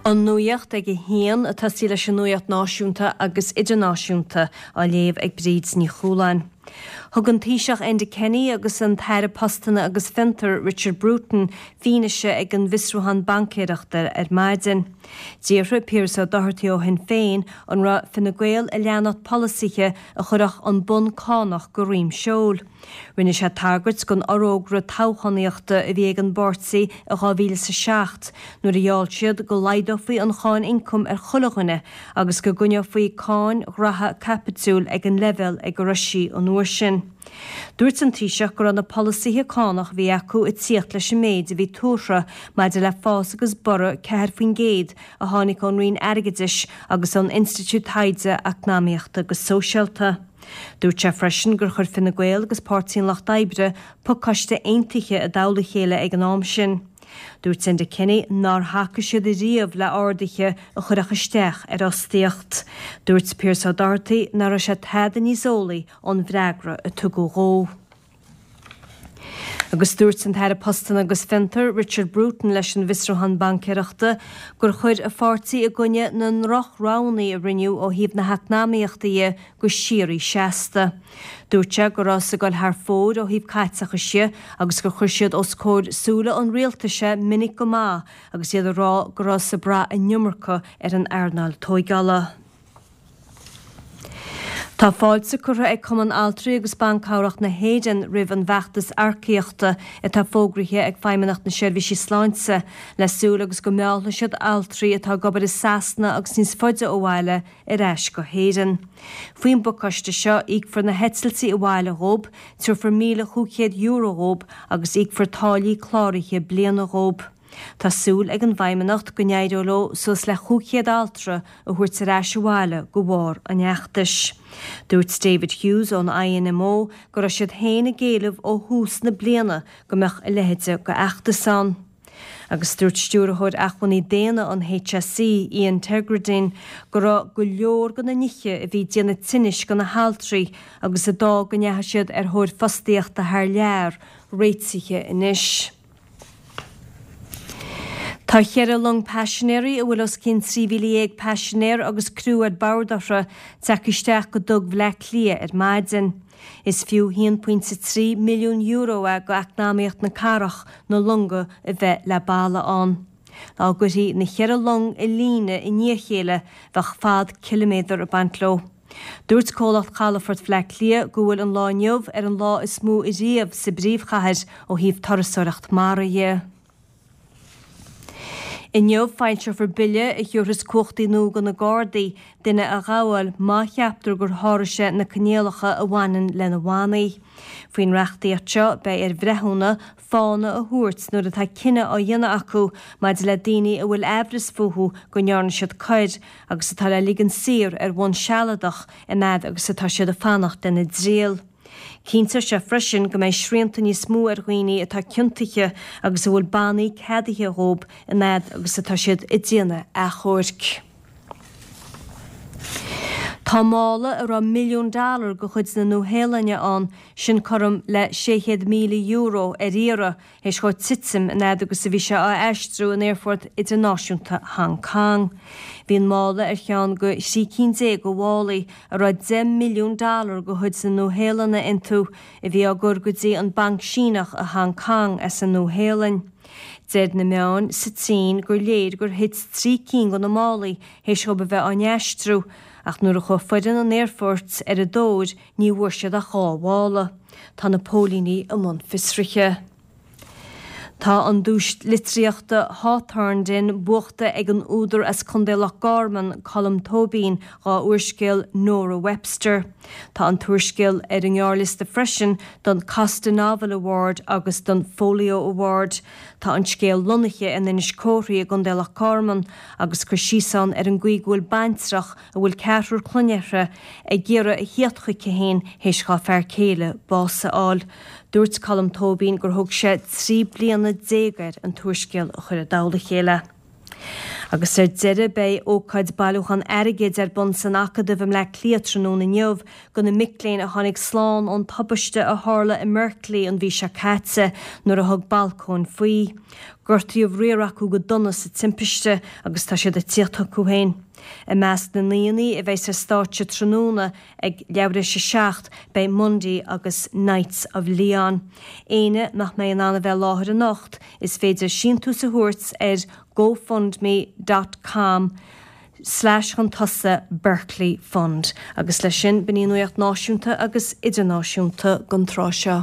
An Nuacht ag a hAon, ag tosaí leis an nuacht náisiúnta agus idirnáisiúnta, á léamh ag Bríd Ní Chualáin. Thug an Taoiseach Enda Kenny agus an tAire Postanna agus Fiontar Richard Bruton fianaise ag an bhfiosrúchán baincéireachta ar maidin. D'fhiafraigh Piaras Ó Dochartaigh ó Shinn Féin an raibh Fine Gael ag leanacht polasaithe a chuirfeadh an bonn cánach go dhroim seoil. Rinne sé tagairt don fhorógra toghchánaíochta a bhí ag an bpáirtí i 2007 nuair a gheall siad go laghdófaí an cháin ioncaim ar chuile dhuine agus go gcoinneofaí cáin ghraithe caipitiúil ag an leibhéal ag a raibh sí an uair sin. Dúirt an Taoiseach go raibh na polasaithe cánach a bhí acu ag tíocht leis an méid a bhí tuartha maidir le fás agus borradh 4% a tháinig ón Roinn Airgeadais agus ón Institiúid Taighde Eacnamaíochta agus Sóisialta. Dúirt sé freisin gur chuir Fine Gael agus Páirtí an Lucht Oibre pacáiste aontaithe i dtoll a chéile ag an am sin. Dúirt Enda Kenny nár thacaigh siad ariamh le arduithe a chuirfeadh isteach ar fhostaíocht. Dúirt Pearse Ó Dochartaigh nach raibh sé tada níos eolaí ón bhfreagra a tugadh dhó. Agus dúirt an tAire Postanna agus Fiontar, Richard Bruton leis an bhfiosrúchán baincéireachta gur chuir a pháirtí i gcoinne na ndroch-roghanna a rinneadh ó thaobh na heacnamaíochta dhe go síoraí seasta. Dúirt sé go rabhthas ag dul thar fóir ó thaobh caiteachais dhe agus gur chuir siad os comhair súile an rialtais é minic go maith agus iad ag rá go rabhthas ag brath an iomarca ar an earnáil tóigeála. Tá fáilte curtha ag Cumann Altraí agus Ban Cabhrach na hÉireann roimh an bhfeachtas earcaíochta atá fógraithe ag Feidhmeannacht na Seirbhísí Sláinte le súil agus go meallfaidh siad altraí atá ag obair i Sasana agus níos faide ó bhaile ar ais go hÉirinn. Faoin bpacáiste seo íocfar na heitiltí abhaile dhób, tabharfar €1,500 dhób agus íocfar táillí cláraithe bliana dhób. Tá súil ag an bhFeidhmeannacht go n-éireoidh leo suas le 500 altra a thabhairt ar ais abhaile de bharr an fheachtais. Dúirt David Hughes ón INMO go raibh siad féin ag éileamh ó thús na bliana go mbeadh a leithéid de fheachtas ann. Agus dúirt Stiúrthóir Acmhainní Daonna an HSE, Ian Tegerdine, go raibh go leor de na nithe a bhí ag déanamh tinnis do na haltraí agus a d'fhág go ndeachaigh siad ar thóir fostaíochta thar lear, réitithe anois. Tá cheithre long paisinéirí a bhfuil os cionn 13,000 paisinéir agus criú ar bord orthu tagtha isteach go Duc Bhleá Cliath ar maidin. Is fiú €1.3 milliún é go eacnamaíocht na cathrach na longa a bheith le balla ann. Dá gcuirfí na cheithre long i líne i ndiaidh a chéile bheadh fad ciliméadar ag baint leo. Dúirt Comhlacht Chalafort Bhleá Cliath go bhfuil an lá inniu ar an lá is mó ariamh sa bpríomhchathair ó thaobh turasóireacht mara dhe. Inniu foilseofar bille a thiúrfas cumhachtaí nua do na Gardaí duine a ghabháil má cheaptar gur sháraigh sé na coinníollacha a bhaineann lena bhannaí. Faoin reachtaíocht seo beidh ar bhreithiúna fána a thabhairt nuair atá cinneadh á dhéanamh acu maidir le daoine a bhfuil aimhreas fúthu go ndearna siad coir agus atá le ligean saor ar bhonn sealadach an fhad agus atá siad ag fanacht lena dtriail. Cinnteoidh sé freisin go mbeidh srianta níos mó ar dhaoine atá ciontaithe agus a bhfuil bannaí ceadaithe dhóibh an fhad agus atá siad ag déanamh achomhairc. Tá mála a raibh milliún dollar de chuid na Nua-Shéalainne ann, sin cothrom le €600,000, ar iarraidh, théis dhó titim an fhad agus a bhí sé á aistriú in Aerfort Idirnáisiúnta Hong Kong. Bhí an mála ar cheann de thrí cinn déag de mhálaí a raibh $10 milliún de chuid na Nua-Shéalainne iontu, a bhí á gcur go dtí an Banc Síneach i Hong Kong as an Nua-Shéalainn. Deir na meáin sa tSín gur léir gur thit trí cinn de na málaí théis dhóibh a bheith á n-aistriú, ach nuair a chuaigh foireann an aerfoirt ar a dtóir ní bhfuair siad ach 2 mhála. Tá na póilíní i mbun fiosraithe. Tá an duais litríochta Hawthornden buachta ag an údar as Contae Loch Garman, Colm Tóibín, dhá úrscéal Nora Webster. Tá an t-úrscéal ar an ngearrliosta freisin don Costa Novel Award agus don Folio Award. Tá an scéal lonnaithe in Inis Córthaidh i gContae Loch Garman agus cur síos ann ar an gcaoi go bhfuil baintreach, a bhfuil ceathrar clainne uirthi, ag iarraidh a thíocht chuici féin théis dhá fear céile bás a fháil. Dúirt Colm Tóibín gur thóg sé 13 bliana air an t-úrscéal a chur i dtoll a chéile. Agus ar deireadh, beidh ócáid bailiúchán airgid ar bun san Acadamh i mBleá Cliath tráthnóna inniu do na mic léinn a tháinig slán ón tubaiste a tharla i mBerkeley an mhí seo caite nuair a thug balcóin faoi. Gortaíodh riar acu go dona sa timpiste agus tá siad ag tíocht chucu féin. I measc na n-aíonna a bheas ar stáitse tráthnóna ag leathuair tar éis a 7, beidh Mundy agus Knights of Leon. Éinne nach mbeidh in ann a bheith i láthair anocht, is féidir síntiús a thabhairt ar gofundme dot com slash chun tosaigh Berkeley Fund. Agus leis sin, b'in í an nuacht náisiúnta agus idirnáisiúnta don tráth seo.